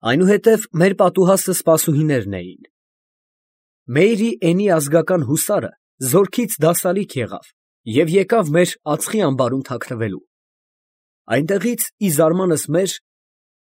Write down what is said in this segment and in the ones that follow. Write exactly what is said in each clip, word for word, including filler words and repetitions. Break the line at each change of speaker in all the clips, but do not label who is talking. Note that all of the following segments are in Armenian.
Այնուհետև մեր պատուհասը սպասուհիներն էին։ Մեյրի Էնի ազգական հուսարը զորքից դասալիկ եղավ և եկավ մեր ածխի ամբարում թաքնվելու։ Այնտեղից, ի զարմանս մեր,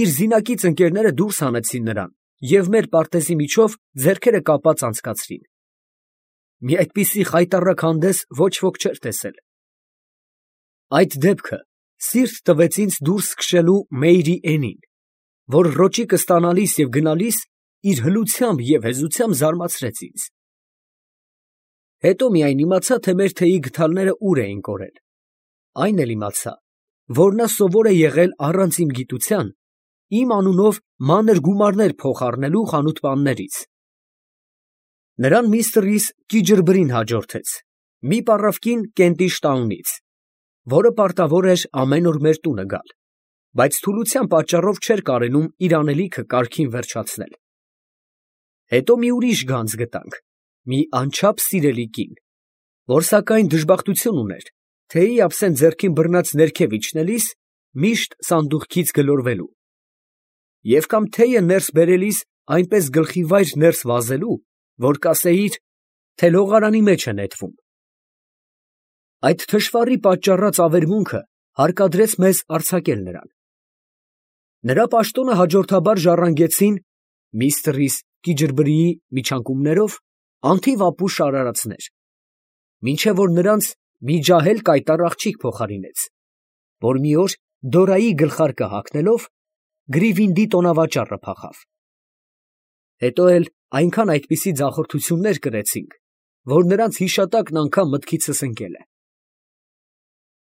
իր զինակից ընկերները դուրս հանեցին նրան և մեր պարտեզի միջով ձեռքերը կապած անցկացրին։ Մի այդպիսի խայտառակ հանդես ոչ ոք չէր տեսել։ Այդ դեպքը սիրտ տվեց ինձ դուրս քշելու Մեյրի Էնին, որ ռոճիկը ստանալիս և գնալիս իր հլությամբ և հեզությամբ զարմացրեց ինձ։ Հետո միայն իմացա, թե մեր թեյի գդալները ուր էին կորել, այն էլ իմացա, որ նա սովոր է եղել առանց իմ գիտության իմ անունով մանր գումարներ փոխ֊առնելու խանութպաններից։ Նրան միստր Կիջրբրին հաջորդեց, մի պառավկին Կենտիշ տաունից, որը պարտավոր էր ամեն օր մեր տունը գալ, բայց թուլության պատճառով չէր կարենում իր անելիքը կարգին վերջացնել։ Հետո մի ուրիշ գանձ գտանք, մի անչափ սիրելի կին, որ սակայն դժբախտություն ուներ թեյի ափսեն ձեռքին բռնած ներքև իջնելիս միշտ սանդուղքից գլորվելու և կամ թեյը ներս բերելիս այնպես գլխիվայր ներս վազելու, որ կասեիր, թե լողարանի մեջ է նետվում։ Այդ թշվառի պատճառած ավերմունքը հարկադրեց մեզ արձակել նրան։ Նրա պաշտոնը հաջորդաբար ժառանգեցին միստր Կիջրբրիի միջանկումներով անթիվ ապուշ արարածներ, մինչև որ նրանց մի ջահել կայտառ աղջիկ փոխարինեց, որ մի օր Դորայի գլխարկը հագնելով գրիվինդի տոնավաճառը փախավ։ Հետո էլ այնքան այդպիսի ձախորդություններ կրեցինք, որ նրանց հիշատակն անգամ մտքիցս ընկել է։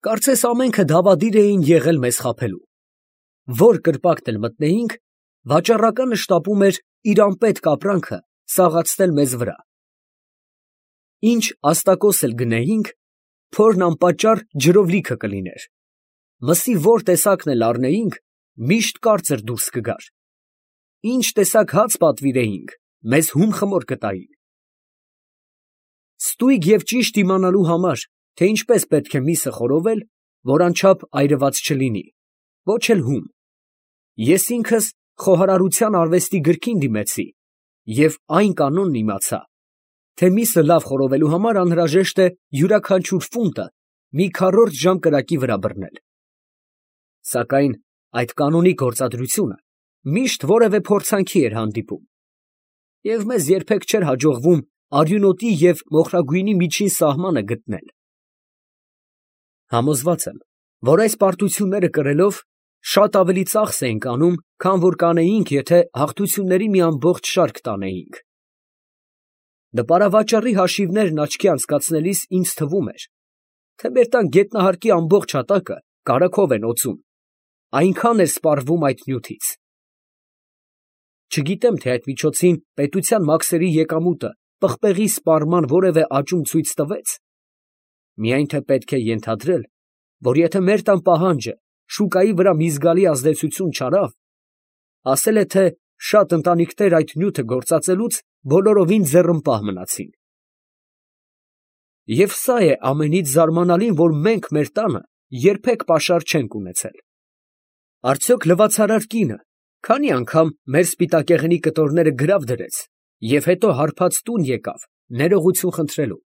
Կարծես ամենքը դավադիր էին եղել մեզ խաբելու։ Որ կրպակն էլ մտնեինք, վաճառականը շտապում էր իր անպետք ապրանքը սաղացնել մեզ վրա։ Ինչ աստակոս էլ գնեինք, փորն անպատճառ ջրով լիքը կլիներ, մսի որ տեսակն էլ առնեինք, միշտ կարծր դուրս կգար, ինչ տեսակ հաց պատվիրեինք, մեզ հում խմոր կտային։ Ստույգ և ճիշտ իմանալու համար, թե ինչպես պետք է միսը խորովել, որ անչափ այրված չլինի, ոչ էլ հում, ես ինքս խոհարարության արվեստի գրքին դիմեցի և այն կանոնն իմացա, թե միսը լավ խորովելու համար անհրաժեշտ է յուրաքանչյուր ֆունտը մի քառորդ ժամ կրակի վրա բռնել։ Սակայն այդ կանոնի գործադրությունը միշտ որևէ փորձանքի էր հանդիպում, և մեզ երբեք չէր հաջողվում արյունոտի և մոխրագույնի միջին սահմանը գտնել։ Համոզված եմ, որ այս պարտությունները կրելով շատ ավելի ծախս էինք անում, քան որ կանեինք, եթե հաղթությունների մի ամբողջ շարք տանեինք։ Նպարավաճառի հաշիվներն աչքի անցկացնելիս ինձ թվում էր, թե մեր տան գետնահարկի ամբողջ հատակը կարագով են օծում, այնքան էր սպառվում այդ նյութից։ Չգիտեմ, թե այդ միջոցին պետության մաքսերի եկամուտը պղպեղի սպառման որևէ աճում ցույց տվեց, միայն թե պետք է ենթադրել, որ եթե մեր տան պահանջը շուկայի վրա մի զգալի ազդեցություն չարավ, ասել է, թե շատ ընտանիքներ այդ նյութը գործածելուց բոլորովին ձեռնպահ մնացին։ Եվ սա է ամենից զարմանալին, որ մենք մեր տանը երբեք պաշար չենք ունեցել։ Արդյոք լվացարար կինը քանի անգամ մեր սպիտակեղենի կտորները գրավ դրեց և հետո հարբած տուն եկավ ներողություն խնդրելու,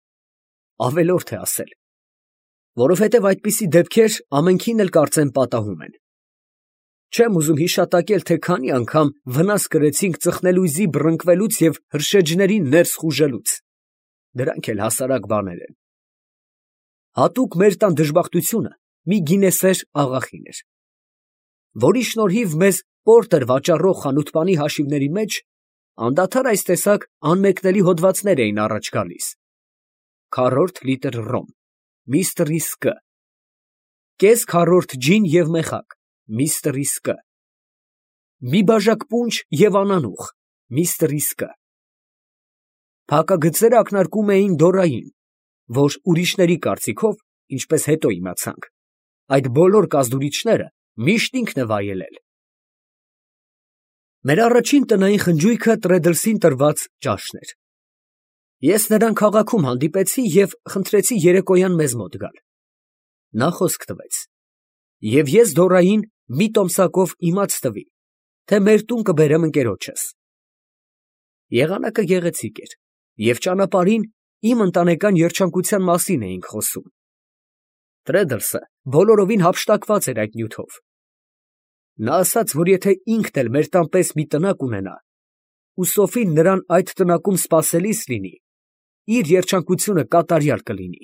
ավելորդ է ասել, որովհետև այդպիսի դեպքեր ամենքին էլ կարծեմ պատահում են։ Չեմ ուզում հիշատակել, թե քանի անգամ վնաս կրեցինք ծխնելույզի բռնկվելուց և հրշեջների ներս խուժելուց, դրանք էլ հասարակ բաներ են։ Հատուկ մեր տան դժբախտությունը մի գինեսեր աղախին էր, որի շնորհիվ մեզ պորտեր վաճառող խանութպանի հաշիվների մեջ անդադար այս տեսակ անմեկնելի հոդվածներ էին առաջ գալիս. քառորդ լիտր ռոմ, միստր Կ. կես քառորդ ջին և մեխակ, միստր Կ. մի բաժակ պունջ և անանուխ, միստր Կ. Փակագծերը ակնարկում էին Դորային, որ ուրիշների կարծիքով, ինչպես հետո իմացանք, այդ բոլոր կազդուրիչները միշտ ինքն է վայելել։ Մեր առաջին տնային խնջույքը Տրեդլսին տրված ճաշն էր։ Ես նրան քաղաքում հանդիպեցի և խնդրեցի երեկոյան մեզ մոտ գալ։ Նա խոսք տվեց, և ես Դորային մի տոմսակով իմաց տվի, թե մեր տուն կբերեմ ընկերոջս։ Եղանակը գեղեցիկ էր, և ճանապարհին իմ ընտանեկան երջանկության մասին էինք խոսում։ Տրեդլսը բոլորովին հափշտակված էր այդ նյութով։ Նա ասաց, որ եթե ինքն էլ մեր տան պես մի տնակ ունենա, ու Սոֆին նրան այդ տնակում սպասելիս լինի, իր երջանկությունը կատարյալ կլինի։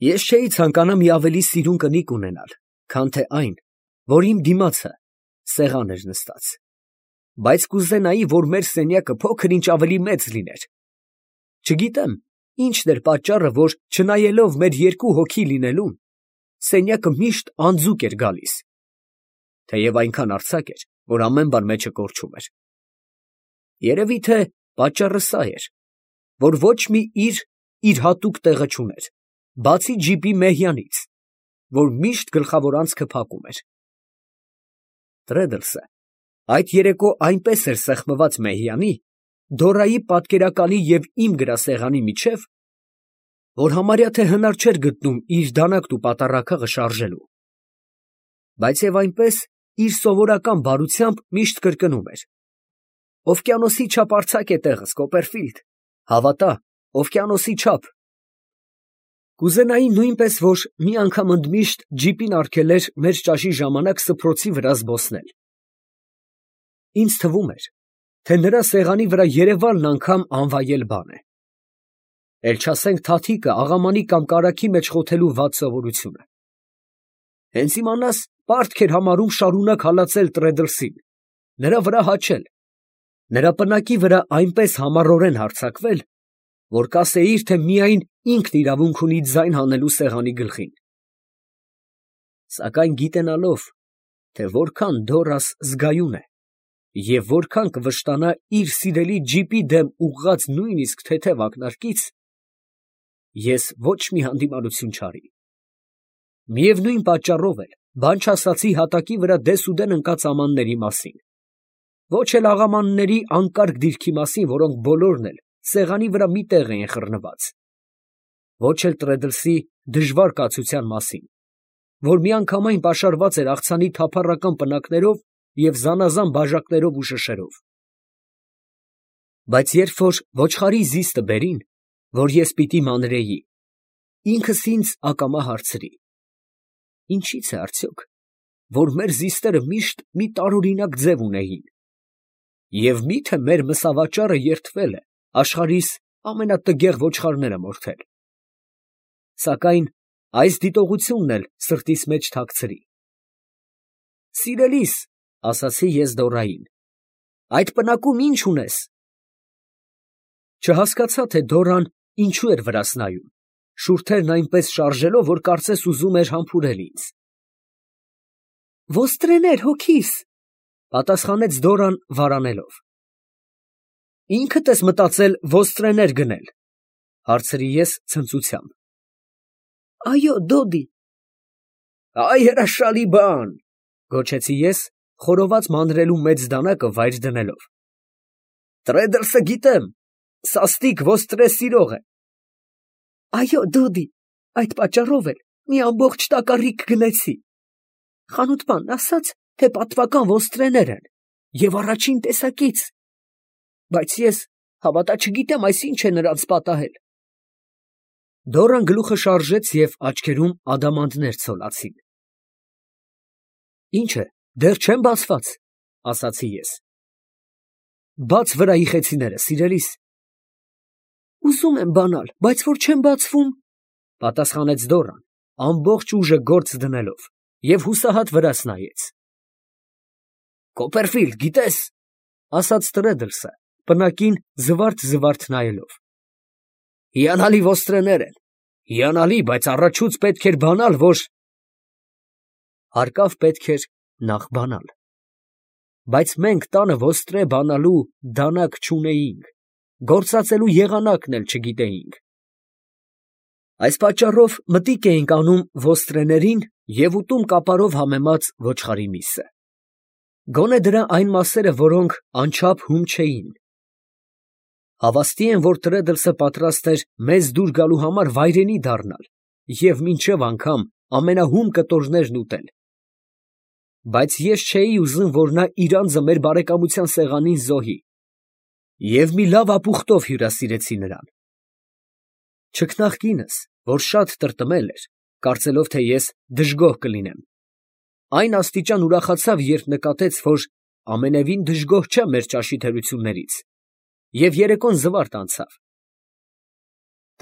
Ես չէի ցանկանա մի ավելի սիրուն կնիկ ունենալ, քան թե այն, որ իմ դիմացը սեղան էր նստած, բայց կուզենայի, որ մեր սենյակը փոքր-ինչ ավելի մեծ լիներ։ Չգիտեմ, ինչն էր պատճառը, որ չնայելով մեր երկու հոգի լինելուն, սենյակը միշտ անձուկ էր գալիս, թեև այնքան արձակ էր, որ ամեն բան մեջը կորչում էր։ Երևի թե պատճառը սա էր, որ ոչ մի իր իր հատուկ տեղը չուներ, բացի ջիպի մեհյանից, որ միշտ գլխավոր անցքը փակում էր։ Տրեդլսը այդ երեկո այնպես էր սեղմված մեհյանի, Դորայի պատկերակալի և իմ գրասեղանի միջև, որ համարյա թե հնար չէր գտնում իր դանակն ու պատառաքաղը շարժելու, բայց և այնպես իր սովորական բարությամբ միշտ կրկնում էր. «Օվկիանոսի չափ արձակ է տեղս, Կոպերֆիլդ, հավատա, օվկիանոսի չափ»։ Կուզենայի նույնպես, որ մի անգամ ընդմիշտ ջիպին արգելեր մեր ճաշի ժամանակ սփռոցի վրա զբոսնել։ Ինձ թվում էր, թե նրա սեղանի վրա երևալն անգամ անվայել բան է, էլ չասենք թաթիկը աղամանի կամ կարագի մեջ խոթելու վատ սովորությունը։ Հենց իմանաս, պարտք էր համարում շարունակ հալածել Տրեդլսին, նրա վրա հաչել, նրա պնակի վրա այնպես համառորեն հարձակվել, որ կասեիր, թե միայն ինքն իրավունք ունի ձայն հանելու սեղանի գլխին։ Սակայն գիտենալով, թե որքան Դորաս զգայուն է և որքան կվշտանա իր սիրելի ջիպի դեմ ուղղած նույնիսկ թեթև ակնարկից, ես ոչ մի հանդիմանություն չարի։ Միևնույն պատճառով էլ բան չասացի հատակի վրա դեսուդեն ընկած ամանների մասին, ոչ էլ աղամանների անկարգ դիրքի մասին, որոնք բոլորն էլ սեղանի վրա մի տեղ էին խռնված, ոչ էլ Տրեդլսի դժվար կացության մասին, որ միանգամայն պաշարված էր աղցանի թափառական պնակներով և զանազան բաժակներով ու շշերով։ Բայց երբ որ ոչխարի զիստը բերին, որ ես պիտի մանրեի, ինքս ինձ ակամա հարցրի. ինչի՞ց է արդյոք, որ մեր զիստերը միշտ մի տարօրինակ ձև ունեին, և մի՞թե մեր մսավաճառը երդվել է աշխարհիս ամենատգեղ ոչխարները մորթել։ Սակայն այս դիտողությունն էլ սրտիս մեջ թաքցրի։ «Սիրելիս, ֊ ասացի ես Դորային, ֊ այդ պնակում ի՞նչ ունես»։ Չհասկացա, թե Դորան ինչու էր վրաս նայում, շուրթերն այնպես շարժելով, որ կարծես ուզում էր համբուրել ինձ։ «Ոստրեներ, հոգիս, ֊ պատասխանեց Դորան վարանելով։ ֊ Ինքդ ես մտածել ոստրեներ գնել, ֊ հարցրի ես ցնծությամբ։ ֊ Այո, դոդի։ ֊ Այ հրաշալի բան, ֊ գոչեցի ես, խորոված մանրելու մեծ դանակը վայր դնելով։ ֊ Տրեդլսը գիտեմ, սաստիկ ոստրե սիրող է։ ֊ Այո, դոդի, այդ պատճառով էլ մի ամբողջ տակառիկ գնեցի։ Խանութպանն ասաց, թե պատվական ոստրեներ են և առաջին տեսակից, բայց ես, հավատա, չգիտեմ այս ինչ է նրանց պատահել։ Դորան գլուխը շարժեց և աչքերում ադամանդներ ցոլացին։ Ինչ է, դեռ չեն բացված, ֊ ասացի ես։ Բաց վրայի խեցիները, սիրելիս։ Ուզում եմ բանալ, բայց որ չեն բացվում, ֊ պատասխանեց Դորան, ամբողջ ուժը գործ դնելով, և հուսահատ վրաս նայեց։ Կոպերֆիլդ, գիտես, ֊ ասաց Տրեդլսը, պնակին զվարթ֊զվարթ նայելով, ֊ հիանալի ոստրեներ են, հիանալի, բայց առաջուց պետք էր բանալ, որ… Հարկավ պետք էր նախ բանալ, բայց մենք տանը ոստրե բանալու դանակ չունեինք, գործածելու եղանակն էլ չգիտեինք։ Այս պատճառով մտիկ էինք անում ոստրեներին և ուտում կապարով համեմած ոչխարի միսը, գոնե դրա այն մասերը, որոնք անչափ հում չէին։ Հավաստի եմ, որ Տրեդլսը պատրաստ էր մեզ դուր գալու համար վայրենի դառնալ և մինչև անգամ ամենահում կտորներն ուտել։ բայց ես չէի ուզում, որ նա իր անձը մեր բարեկամության սեղանին զոհի, և մի լավ ապուխտով հյուրասիրեցի նրան։ Չքնաղ կինս, որ շատ տրտմել էր, կարծելով, թե ես դժգոհ կլինեմ, այն աստիճան ուրախացավ, երբ նկատեց, որ ամենևին դժգոհ չեմ մեր ճաշի թերություններից, և երեկոն զվարթ անցավ։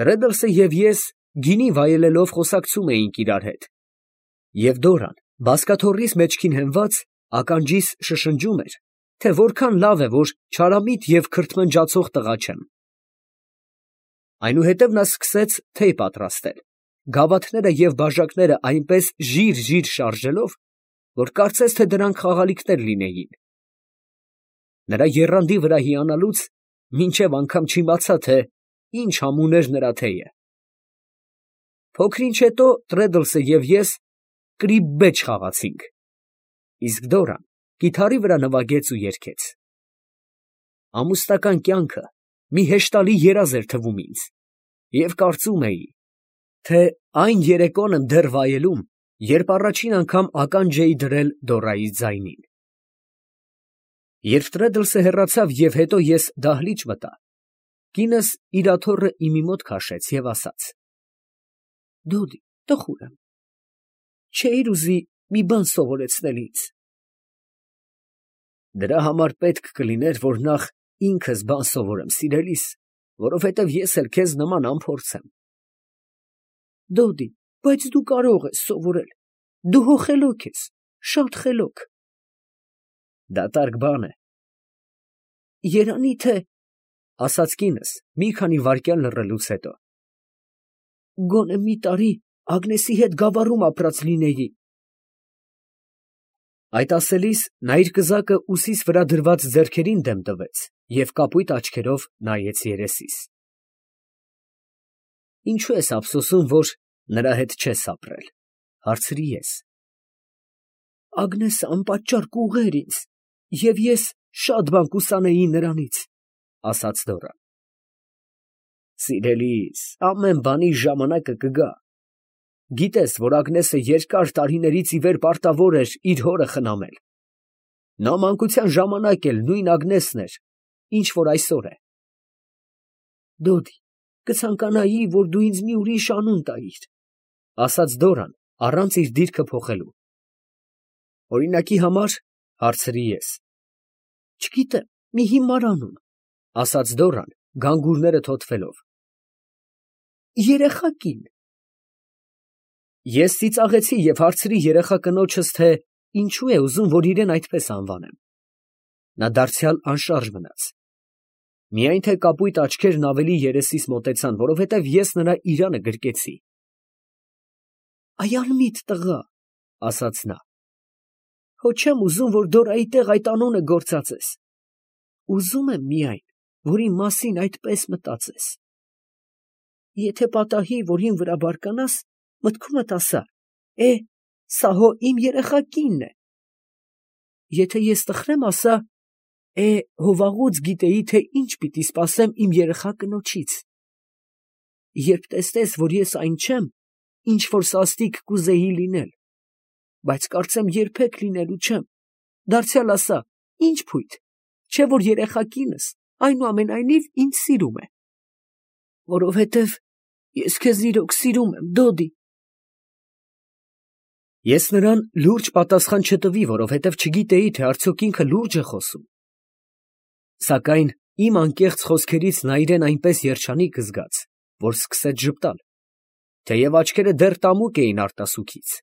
Տրեդլսը և ես գինի վայելելով խոսակցում էինք իրար հետ, և Դորան, բազկաթոռիս մեջքին հենված, ականջիս շշնջում էր, թե որքան լավ է, որ չարամիտ և քրթմնջացող տղա չեմ։ Այնուհետև նա սկսեց թեյ պատրաստել, գավաթները և բաժակները այնպես ժիր֊ժիր շարժելով, որ կարծես թե դրանք խաղալիքներ լինեին։ Նրա եռանդի վրա հիանալուց մինչև անգամ չիմացա, թե ինչ համուն էր նրա թեյը։ Փոքր ինչ հետո Տրեդլսը և ես կրիբբեջ խաղացինք, իսկ Դորան կիթառի վրա նվագեց ու երգեց։ Ամուսնական կյանքը մի հեշտալի երազ էր թվում ինձ, և կարծում էի, թե այն երեկոն եմ դեռ վայելում, երբ առաջին անգամ ականջ էի դրել Դորայի ձայնին։ Երբ Տրեդլսը հեռացավ և հետո ես դահլիճ մտա, կինս իր աթոռը իմի մոտ քաշեց և ասաց. «Դոդի, տխուր եմ, չէի՞ր ուզի մի բան սովորեցնել ինձ»։ Դրա համար պետք կլիներ, որ նախ ինքս բան սովորեմ, սիրելիս, որովհետև ես էլ քեզ նման անփորձ եմ։ Դոդի, բայց դու կարող ես սովորել, դու հո խելոք ես, շատ խելոք։ Դատարկ բան է։ Երանի թե, ֊ ասաց կինս, մի քանի վայրկյան լռելուց հետո, ֊ գոնե մի տարի Ագնեսի հետ գավառում ապրած լինեի։ Այդ ասելիս նա իր կզակը ուսիս վրա դրված ձեռքերին դեմ տվեց և կապույտ աչքերով նայեց երեսիս։ Ինչո՞ւ ես ափսոսում, որ նրա հետ չես ապրել, ֊ հարցրի ես։ Ագնեսը անպատճառ կուղեր ինձ, և ես շատ բան կուսանեի նրանից, ֊ ասաց Դորան։ Սիրելիս, ամեն բանի ժամանակը կգա։ Գիտես, որ Ագնեսը երկար տարիներից ի վեր պարտավոր էր իր հորը խնամել։ Նա մանկության ժամանակ էլ նույն Ագնեսն էր, ինչ որ այսօր է։ Դոդի, կցանկանայի, որ դու ինձ մի ուրիշ անուն տայիր, ֊ ասաց Դորան, առանց իր դիրքը փոխելու։ Օրինակի համար, ֊ հարցրի ես։ Չգիտեմ, մի հիմար անուն, ֊ ասաց Դորան, գանգուրները թոթվելով։ Երեխա կին։ Ես ծիծաղեցի և հարցրի երեխա կնոջս, թե ինչու է ուզում, որ իրեն այդպես անվանեմ։ Նա դարձյալ անշարժ մնաց։ Միայն թե կապույտ աչքերն ավելի երեսիս մոտեցան, որովհետև ես նրա իրանը գրկեցի։ Այ անմիտ տղա, ֊ ասաց նա, հո չեմ ուզում, որ Դորայի տեղ այդ անունը գործածես։ Ուզում եմ միայն, որ իմ մասին այդպես մտածես։ Եթե պատահի, որ իմ վրա բարկանաս, մտքումդ ասա. «Է, սա հո իմ երեխա կինն է»։ Եթե ես տխրեմ, ասա. «Է, հո վաղուց գիտեի, թե ինչ պիտի սպասեմ իմ երեխա կնոջից»։ Երբ տեսնես, որ ես այն չեմ, ինչ որ սաստիկ կուզեի լինել, բայց կարծեմ երբեք լինելու չեմ, դարձյալ ասա. «Ի՞նչ փույթ, չէ՞ որ երեխա կինս այնուամենայնիվ ինձ սիրում է»։ Որովհետև ես քեզ իրոք սիրում եմ, Դոդի։ Ես նրան լուրջ պատասխան չտվի, որովհետև չգիտեի, թե արդյոք ինքը լուրջ է խոսում։ Սակայն իմ անկեղծ խոսքերից նա իրեն այնպես երջանիկ զգաց, որ սկսեց ժպտալ, թեև աչքերը դեռ տամուկ էին արտասուքից։